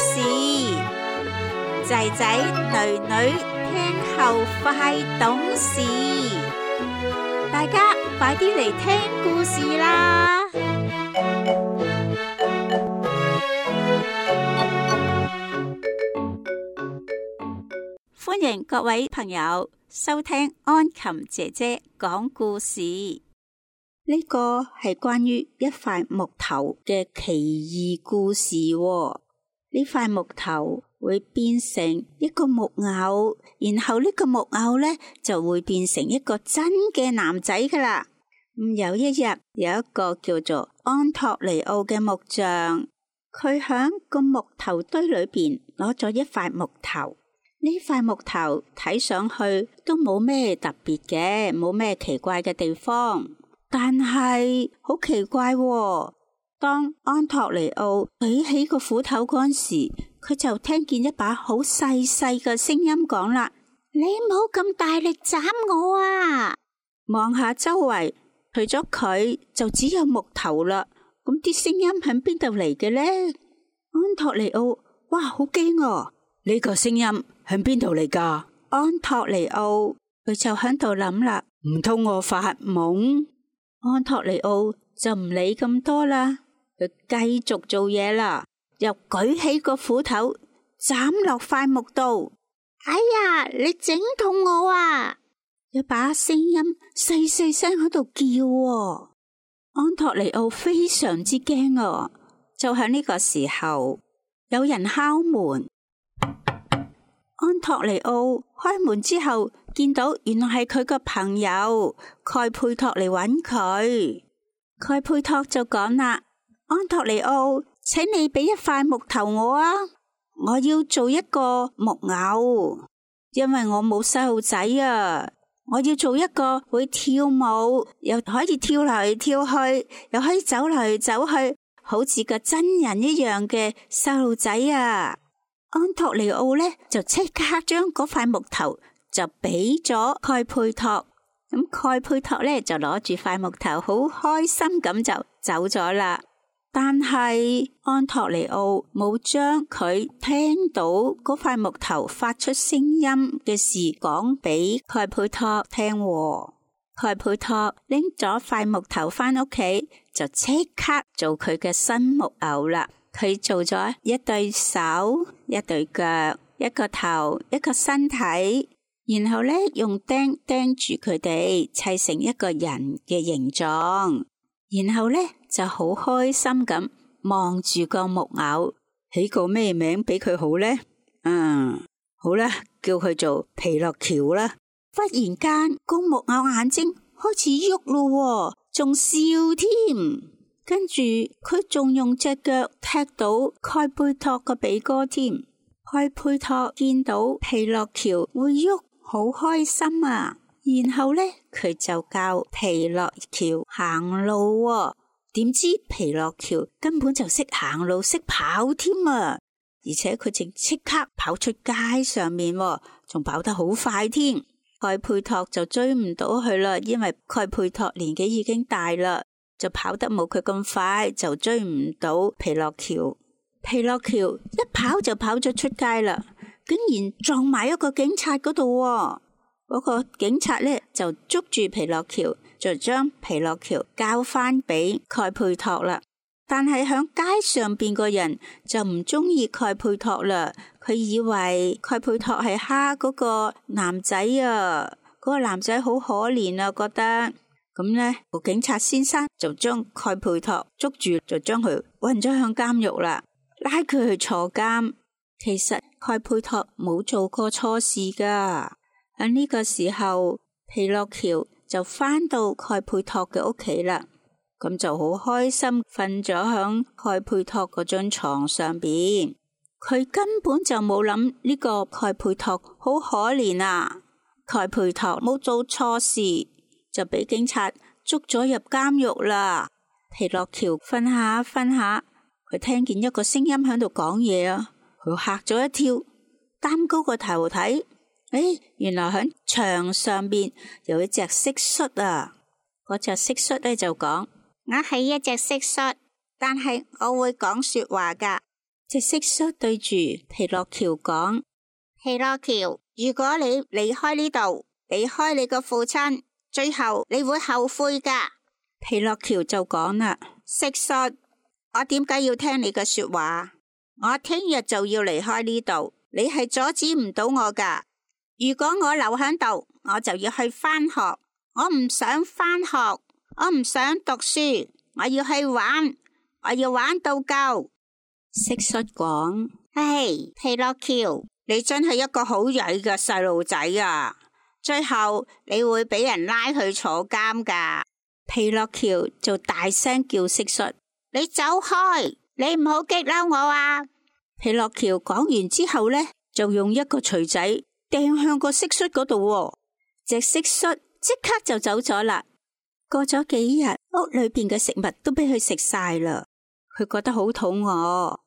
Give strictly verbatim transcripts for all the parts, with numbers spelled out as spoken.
事，仔仔女女聽後快懂事，大家快啲嚟聽故事啦！歡迎各位朋友收聽安琴姐姐講故事。呢個係關於一塊木頭嘅奇異故事喎。呢塊木頭會變成一個木偶，然後呢個木偶呢就會變成一個真嘅男仔噶啦。咁有一日，有一個叫做安托尼奧嘅木匠，佢響個木頭堆裏邊攞咗一塊木頭。呢塊木頭睇上去都冇咩特別嘅，冇咩奇怪嘅地方，但係好奇怪喎。當安托尼奧舉起個斧頭嗰陣時，佢就聽見一把好細細嘅聲音講啦：你唔好咁大力斬我啊！望下周圍，除咗佢就只有木頭啦。咁啲聲音喺邊度嚟嘅呢？安托尼奧，哇，好驚啊！呢個聲音喺邊度嚟噶？安托尼奧佢就喺度諗啦，唔通我發夢？安托尼奧就唔理咁多啦，佢繼續做嘢啦，又舉起個斧頭斬落塊木度。哎呀，你整痛我啊！有把聲音細細聲喺度叫喎。安托尼奧非常之驚啊！就喺呢個時候，有人敲門。安托尼奧開門之後，見到原來係佢個朋友蓋佩托嚟揾佢。蓋佩托就講啦：安托尼奧，請你俾一塊木頭我啊！我要做一個木偶，因為我冇細路仔啊！我要做一個會跳舞，又可以跳嚟跳去，又可以走嚟走去，好似個真人一樣嘅細路仔啊！安托尼奧呢就即刻將嗰塊木頭就俾咗蓋佩托，咁蓋佩托呢就攞住塊木頭，好開心咁就走咗啦。但係安托尼奧冇將佢聽到嗰塊木頭發出聲音嘅事講俾蓋佩托聽喎。蓋佩托拎咗塊木頭返屋企，就即刻做佢嘅新木偶啦。佢做咗一對手、一對腳、一個頭、一個身體，然後咧用釘釘住佢哋，砌成一個人嘅形狀，然後咧就好開心咁望住個木偶，起個咩名俾佢好呢？嗯，好啦，叫佢做皮諾喬啦。忽然間，個木偶眼睛開始喐咯，仲笑添。跟住佢仲用隻腳踢到蓋佩托個鼻哥添。蓋佩托見到皮諾喬會喐，好開心啊！然後呢，佢就教皮諾喬行路喎。點知皮諾喬根本就識行路，識跑添啊！而且佢淨即刻跑出街上面喎，仲跑得好快添。蓋佩托就追唔到佢啦，因為蓋佩托年紀已經大啦。就跑得冇佢咁快，就追唔到皮諾喬。皮諾喬一跑就跑咗出街啦，竟然撞埋一個警察嗰度。嗰個警察咧就捉住皮諾喬，就將皮諾喬交翻俾蓋佩托啦。但係響街上邊個人就唔中意蓋佩托啦，佢以為蓋佩托係蝦嗰個男仔啊，嗰個男仔好可憐啊，覺得。咁呢個警察先生就將蓋佩托捉住，就將佢運咗向監獄啦，拉佢去坐監。其實蓋佩托冇做過錯事噶。喺呢個時候，皮諾喬就返到蓋佩托嘅屋企啦，咁就好開心瞓咗響蓋佩托嗰張床上邊。佢根本就冇諗呢個蓋佩托好可憐啊！蓋佩托冇做錯事，就俾警察捉咗入監獄啦。皮諾喬瞓下瞓下，佢聽見一個聲音喺度講嘢啊！佢嚇咗一跳，擔高個頭睇，誒，原來喺牆上邊有一隻蟋蟀啊！嗰隻蟋蟀咧就講：我係一隻蟋蟀，但係我會講說話噶。隻蟋蟀對住皮諾喬講：皮諾喬，如果你離開呢度，離開你個父親，最後你會後悔噶。皮諾喬就講啦：蟋蟀，我點解要聽你嘅說話？我聽日就要離開呢度，你係阻止唔到我噶。如果我留喺度，我就要去返學。我唔想返學，我唔想讀書，我要去玩，我要玩到夠。蟋蟀講：唉，皮諾喬，你真係一個好曳嘅細路仔啊！最後你會俾人拉去坐監噶。皮諾喬就大聲叫蟋蟀：你走開，你唔好激嬲我啊！皮諾喬講完之後呢，就用一個錘仔掟向個蟋蟀嗰度，隻蟋蟀即刻就走咗啦。過咗幾日，屋裏邊嘅食物都俾佢食晒啦，佢覺得好肚餓，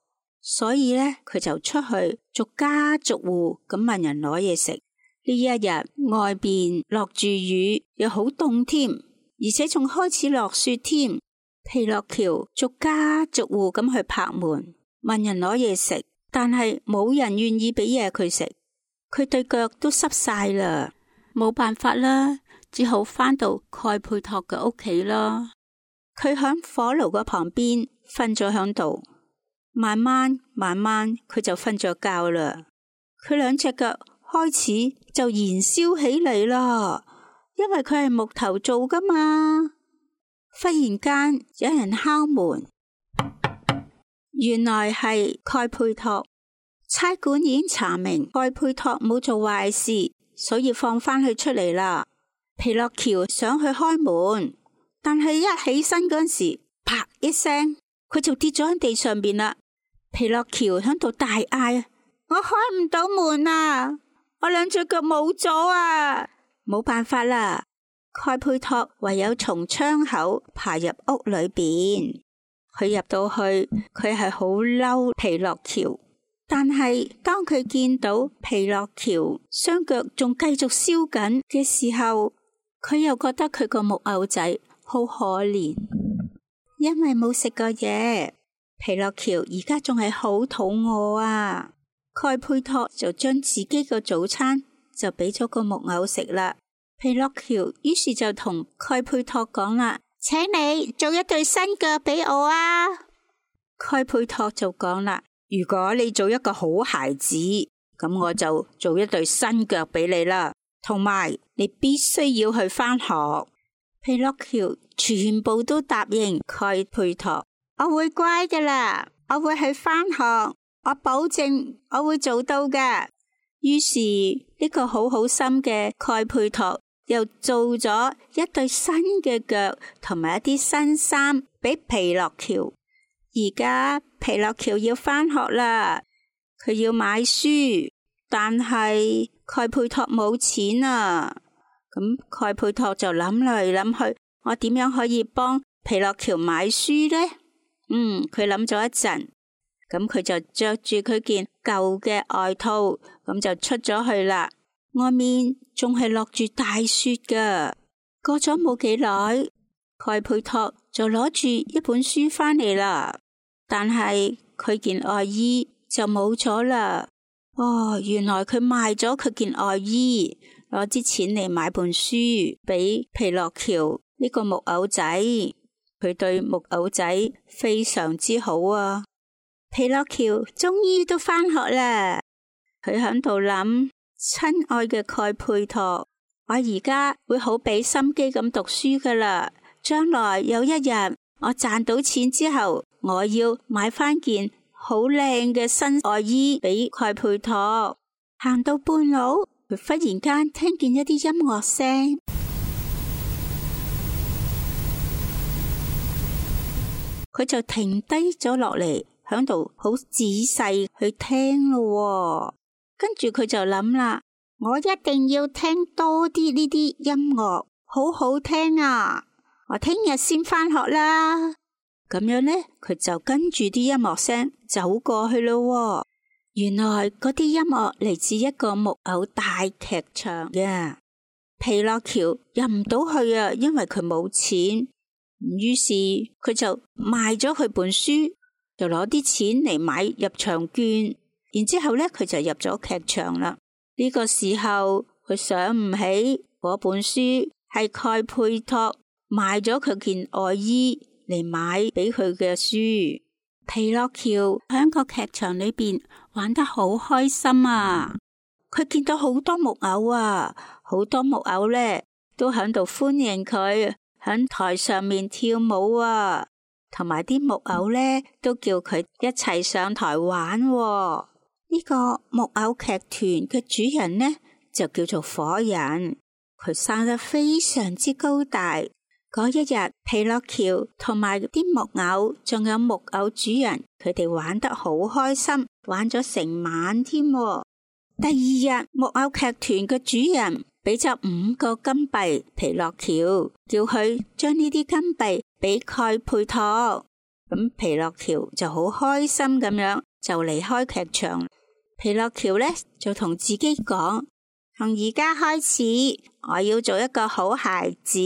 所以呢，佢就出去逐家逐戶咁問人攞嘢食。呢一日外邊落住雨，又好凍添，而且仲開始落雪添。皮諾喬逐家逐戶咁去拍門問人攞嘢食，但係冇人願意俾嘢佢食。佢對腳都濕晒啦，冇辦法啦，只好返到蓋佩托嘅屋企啦。佢響火爐個旁邊瞓咗響度，慢慢慢慢佢就瞓咗覺啦。佢兩隻腳開始就燃燒起嚟啦，因為佢係木頭做噶嘛。忽然間有人敲門，原來係蓋佩托。差館已經查明蓋佩托冇做壞事，所以放返佢出嚟啦。皮諾喬想去開門，但係一起身嗰陣時，啪一聲，佢就跌咗喺地上邊啦。皮諾喬喺度大嗌：我開唔到門啊！我兩隻腳冇咗啊！冇辦法啦，蓋佩托唯有從窗口爬入屋裏邊。佢入到去，佢係好嬲皮諾喬，但係當佢見到皮諾喬雙腳仲繼續燒緊嘅時候，佢又覺得佢個木偶仔好可憐，因為冇食過嘢。皮諾喬而家仲係好肚餓啊！蓋佩托就將自己個早餐就俾咗個木偶食啦。皮諾喬於是就同蓋佩托講啦：請你做一對新腳俾我啊！蓋佩托就講啦：如果你做一個好孩子，咁我就做一對新腳俾你啦。同埋你必須要去返學。皮諾喬全部都答應蓋佩托：我會乖噶啦，我會去返學。我保證我會做到嘅。於是呢個好好心嘅蓋佩托又做咗一對新嘅腳同埋一啲新衫俾皮諾喬。而家皮諾喬要返學啦，佢要買書，但係蓋佩托冇錢啊。咁蓋佩托就諗嚟諗去，我點樣可以幫皮諾喬買書呢？嗯，佢諗咗一陣。咁佢就着住佢件舊嘅外套，咁就出咗去啦。外面仲係落住大雪噶。過咗冇幾耐，蓋佩托就攞住一本書返嚟啦。但係佢件外衣就冇咗啦。哦，原來佢賣咗佢件外衣，攞啲錢嚟買本書俾皮諾喬呢個木偶仔。佢對木偶仔非常之好啊。皮諾喬終於都返學啦，佢喺度諗：親愛嘅蓋佩托，我而家會好俾心機咁讀書噶啦。將來有一日我賺到錢之後，我要買翻件好靚嘅新外衣俾蓋佩托。行到半路，佢忽然間聽見一啲音樂聲，佢就停低咗落嚟。響度好仔細去聽咯，跟住佢就諗啦，我一定要聽多啲呢啲音樂，好好聽啊！我聽日先返學啦。咁樣呢，佢就跟住啲音樂聲走過去咯。原來嗰啲音樂嚟自一個木偶大劇場嘅。皮諾喬入唔到去啊，因為佢冇錢。於是佢就賣咗佢本書。就攞啲錢嚟買入場券，然之後咧佢就入咗劇場啦。呢個時候佢想唔起嗰本書係蓋佩托賣咗佢件外衣嚟買俾佢嘅書。皮諾喬喺個劇場裏邊玩得好開心啊！佢見到好多木偶啊，好多木偶咧都喺度歡迎佢喺台上面跳舞啊，同埋啲木偶咧都叫佢一齊上台玩啊。呢個木偶劇團嘅主人呢就叫做火人，佢生得非常之高大。嗰一日，皮諾喬同埋啲木偶，仲有木偶主人，佢哋玩得好開心，玩咗成晚添。第二日，木偶劇團嘅主人俾咗五個金幣皮諾喬，叫佢將呢啲金幣俾蓋佩托。咁皮諾喬就好開心咁樣就離開劇場。皮諾喬呢就同自己講：從而家開始，我要做一個好孩子。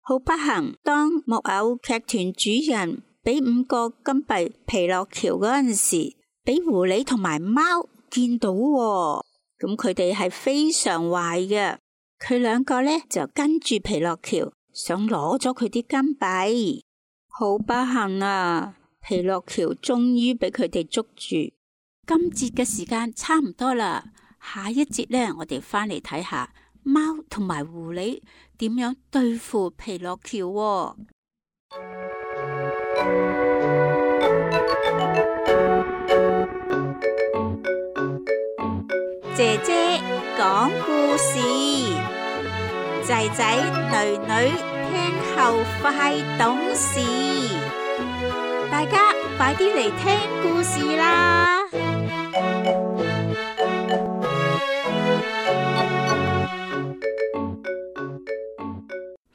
好不幸，當木偶劇團主人俾五個金幣皮諾喬嗰陣時，俾狐狸同埋貓見到喎，咁佢哋係非常壞嘅。佢兩個呢就跟住皮諾喬，想攞咗佢啲金幣。好不幸啊！皮諾喬終於俾佢哋捉住。今節嘅時間差唔多啦，下一節呢，我哋翻嚟睇下貓同埋狐狸點樣對付皮諾喬喎。姐姐講故事，仔仔女女聽後快懂事，大家快啲嚟聽故事啦！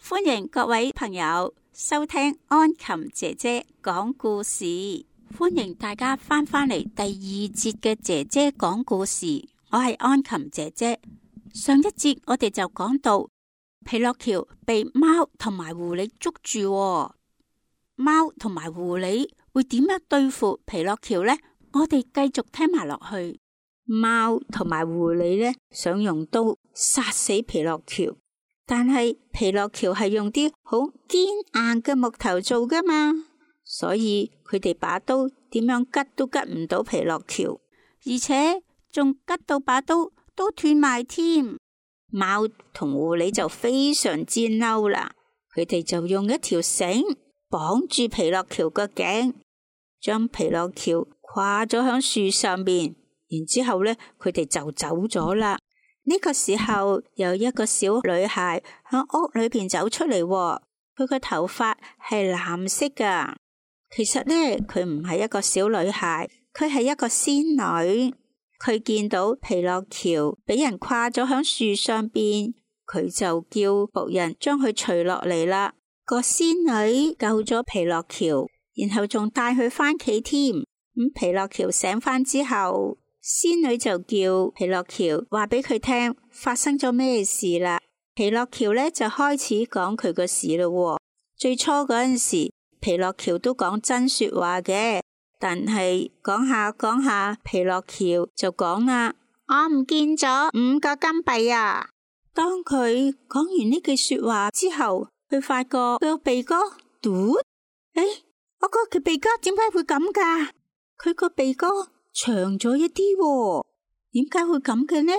歡迎各位朋友收聽安琴姐姐講故事，歡迎大家翻返嚟第二節嘅姐姐講故事。我係安琴姐姐。上一節我哋就講到皮諾喬被貓同埋狐狸捉住喎，貓同埋狐狸會點樣對付皮諾喬呢？我哋繼續聽埋落去。貓同埋狐狸呢，想用刀殺死皮諾喬，但係皮諾喬係用啲好堅硬嘅木頭做噶嘛，所以佢哋把刀點樣吉都吉唔到皮諾喬，而且仲吉到把刀都斷埋添。貓同狐狸就非常之嬲啦，佢哋就用一條繩綁住皮諾喬個頸，將皮諾喬掛咗響樹上面，然之後呢，佢哋就走咗啦。呢個時候有一個小女孩響屋裏邊走出嚟，佢個頭髮係藍色噶。其實呢，佢唔係一個小女孩，佢係一個仙女。佢見到皮諾喬俾人掛咗響樹上邊，佢就叫僕人將佢除落嚟啦。個仙女救咗皮諾喬，然後仲帶佢返屋企添。咁皮諾喬醒返之後，仙女就叫皮諾喬話俾佢聽發生咗咩事啦。皮諾喬呢就開始講佢個事咯。最初嗰陣時，皮諾喬都講真說話嘅。但係講下講下，皮諾喬就講啦：我唔見咗五個金幣啊！當佢講完呢句說話之後，佢發覺佢個鼻哥嘟，誒，我個佢鼻哥點解會咁噶？佢個鼻哥長咗一啲喎，點解會咁嘅呢？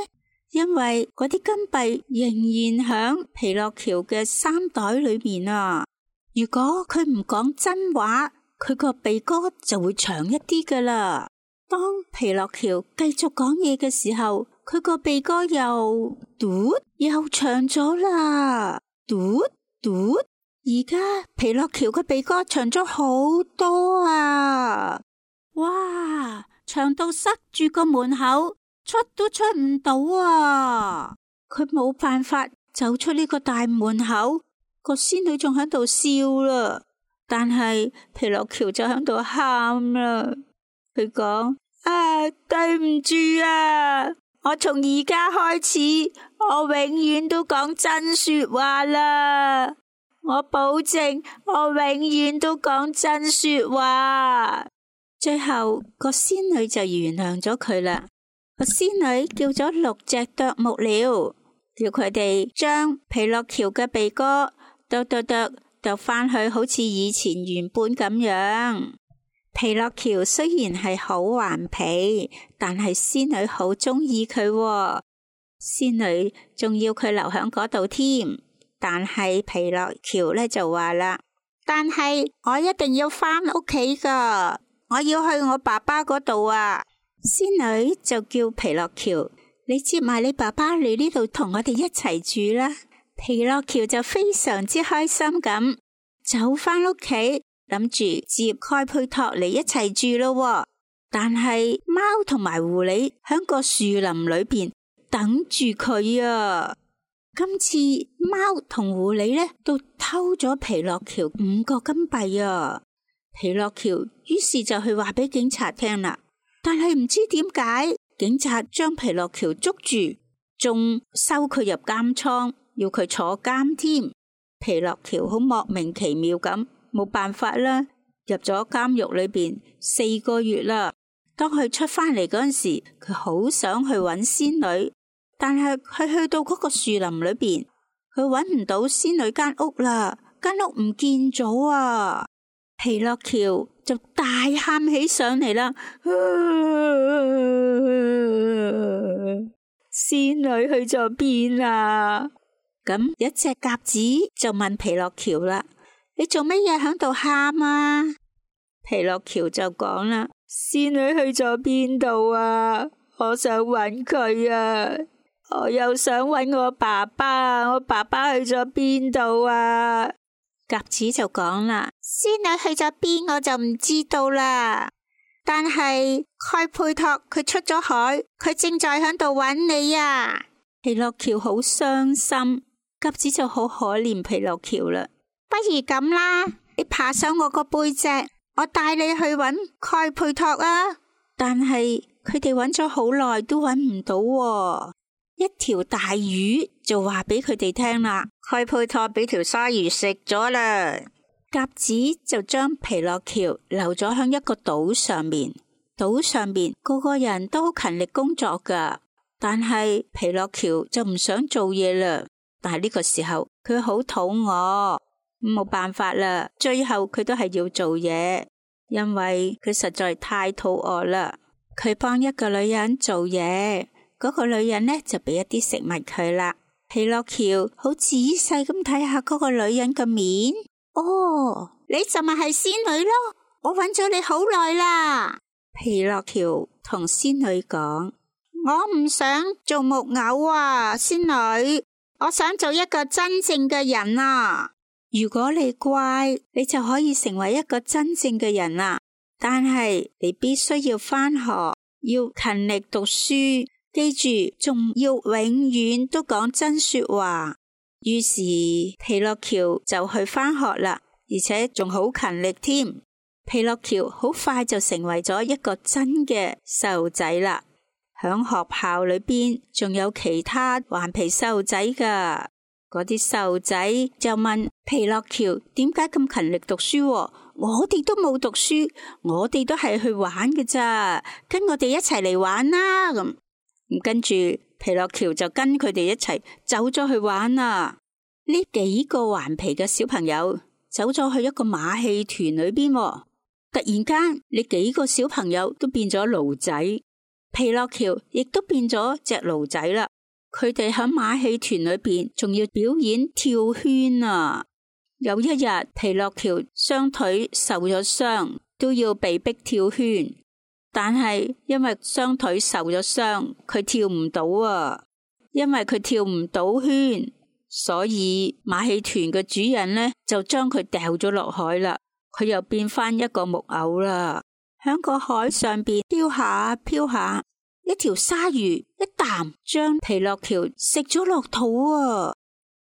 因為嗰啲金幣仍然響皮諾喬嘅衫袋裏面啊！如果佢唔講真話，佢個鼻哥就會長一啲噶啦。當皮諾喬繼續講嘢嘅時候，佢個鼻哥又嘟又長咗啦，嘟嘟。而家皮諾喬個鼻哥長咗好多啊！哇，長到塞住個門口，出都出唔到啊！佢冇辦法走出呢個大門口，個仙女仲喺度笑啦。但係皮諾喬就喺度喊啦，佢講：啊，對唔住啊！我從而家開始，我永遠都講真說話啦！我保證，我永遠都講真說話。最後個仙女就原諒咗佢啦。個仙女叫咗六隻啄木鳥，叫佢哋將皮諾喬嘅鼻哥剁剁剁剁返去，好似以前原本咁樣。皮諾喬雖然係好頑皮，但係仙女好鍾意佢喎。仙女仲要佢留喺嗰度添。但係皮諾喬呢就話啦，但係我一定要返屋企噶，我要去我爸爸嗰度啊。仙女就叫皮諾喬，你接埋你爸爸嚟呢度同我哋一齊住啦。皮諾喬就非常之開心咁走返屋企，諗住接蓋佩托嚟一齊住咯。但係貓同埋狐狸喺個樹林裏邊等住佢啊。今次貓同狐狸呢都偷咗皮諾喬五個金幣啊！皮諾喬於是就去話俾警察聽啦，但係唔知點解警察將皮諾喬捉住，仲收佢入監倉，要佢坐監添。皮諾喬好莫名其妙咁，冇辦法啦，入咗監獄裏邊四個月啦。當佢出翻嚟嗰陣時，佢好想去揾仙女。但係佢去到嗰個樹林裏邊，佢揾唔到仙女間屋啦，間屋唔見咗啊！皮諾喬就大喊起上嚟啦，仙女去咗邊啊？咁一隻鴿子就問皮諾喬啦，你做乜嘢喺度喊啊？皮諾喬就講啦，仙女去咗邊度啊？我想揾佢啊！我又想揾我爸爸，我爸爸去咗邊度啊？鴿子就講啦，仙女去咗邊我就唔知道啦。但係蓋佩托佢出咗海，佢正在響度揾你啊！皮諾喬好傷心，鴿子就好可憐皮諾喬啦。不如咁啦，你爬上我個背脊，我帶你去揾蓋佩托啊！但係佢哋揾咗好耐都揾唔到喎。一條大魚就話俾佢哋聽啦，蓋佩托俾條鯊魚食咗啦。鴿子就將皮諾喬留咗喺一個島上面，島上面個個人都好勤力工作噶，但係皮諾喬就唔想做嘢啦。但係呢個時候佢好肚餓，冇辦法啦，最後佢都係要做嘢，因為佢實在太肚餓啦。佢幫一個女人做嘢。嗰個女人呢就俾一啲食物佢啦。皮諾喬好仔細咁睇下嗰個女人嘅面。哦，你就咪係仙女咯，我揾咗你好耐啦。皮諾喬同仙女講，我唔想做木偶啊，仙女，我想做一個真正嘅人啊。如果你乖，你就可以成為一個真正嘅人啦。但係你必須要返學，要勤力讀書。記住，仲要永遠都講真說話。於是皮諾喬就去返學啦，而且仲好勤力添。皮諾喬好快就成為咗一個真嘅細路仔啦。響學校裏邊仲有其他頑皮細路仔噶，嗰啲細路仔就問皮諾喬點解咁勤力讀書？我哋都冇讀書，我哋都係去玩嘅咋，跟我哋一齊嚟玩啦咁。跟住皮諾喬就跟佢哋一齊走咗去玩啦。呢幾個頑皮嘅小朋友走咗去一個馬戲團裏邊，突然間呢幾個小朋友都變咗驢仔，皮諾喬亦都變咗隻驢仔啦。佢哋喺馬戲團裏邊仲要表演跳圈啊！有一日皮諾喬雙腿受咗傷，都要被逼跳圈。但係因為雙腿受咗傷，佢跳唔到啊！因為佢跳唔到圈，所以馬戲團嘅主人呢就將佢掉咗落海啦。佢又變翻一個木偶啦，響個海上邊飄下飄下，一條鯊魚一啖將皮諾喬食咗落肚啊！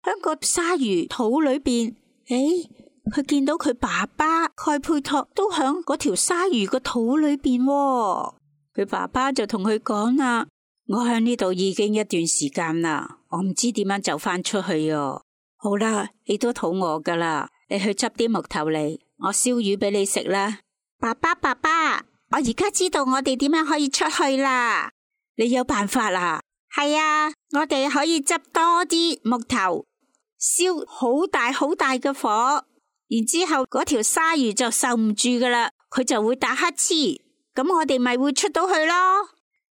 響個鯊魚肚裏邊，誒。佢見到佢爸爸蓋佩托都響嗰條鯊魚個肚裏邊，佢爸爸就同佢講啦：我響呢度已經一段時間啦，我唔知點樣走翻出去啊！好啦，你都肚餓噶啦，你去執啲木頭嚟，我燒魚俾你食啦。爸爸爸爸，我而家知道我哋點樣可以出去啦。你有辦法啦？係啊，我哋可以執多啲木頭，燒好大好大嘅火，然之後嗰條鯊魚就受唔住噶啦，佢就會打乞嗤，咁我哋咪會出到去咯。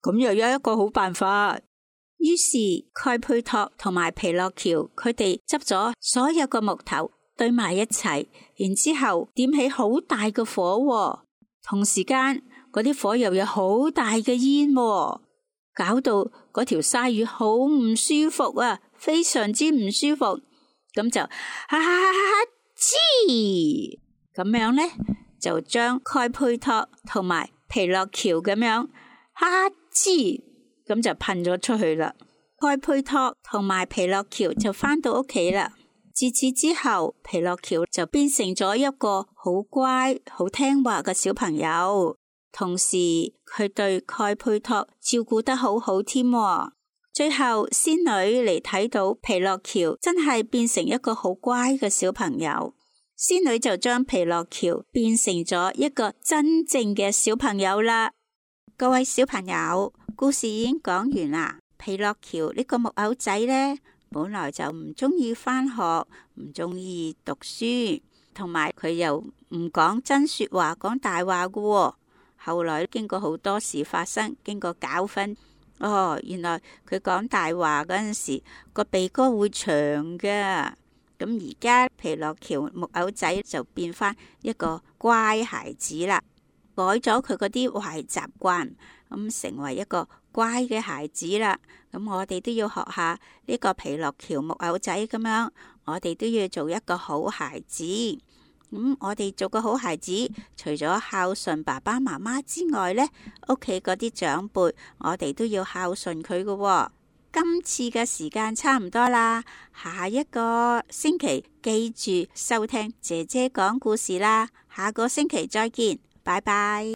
咁又有一個好辦法。於是蓋佩托同埋皮諾喬佢哋執咗所有嘅木頭堆埋一齊，然之後點起好大嘅火，同時間嗰啲火又有好大嘅煙，搞到嗰條鯊魚好唔舒服啊，非常之唔舒服。咁就哈哈哈黐咁樣呢，就將蓋佩托同埋皮諾喬咁樣哈黐咁就噴咗出去啦。蓋佩托同埋皮諾喬就返到屋企啦。自此之後，皮諾喬就變成咗一個好乖、好聽話嘅小朋友。同時，佢對蓋佩托照顧得好好添。最後，仙女嚟睇到皮諾喬真係變成一個好乖嘅小朋友，仙女就將皮諾喬變成咗一個真正嘅小朋友啦。各位小朋友，故事已經講完啦。皮諾喬呢個木偶仔呢，本來就唔中意返學，唔中意讀書，同埋佢又唔講真說話，講大話㗎。後來經過好多事發生，經過教訓，哦，原來佢講大話嗰陣時個鼻哥會長㗎。咁而家皮諾喬木偶仔就變返一個乖孩子啦，改咗佢嗰啲壞習慣，咁成為一個乖嘅孩子啦。咁我哋都要學下呢個皮諾喬木偶仔咁樣，我哋都要做一個好孩子。咁我哋做個好孩子，除咗孝順爸爸媽媽之外呢，屋企嗰啲長輩，我哋都要孝順佢㗎。今次嘅時間差唔多啦，下一個星期記住收聽姐姐講故事啦。下個星期再見，拜拜。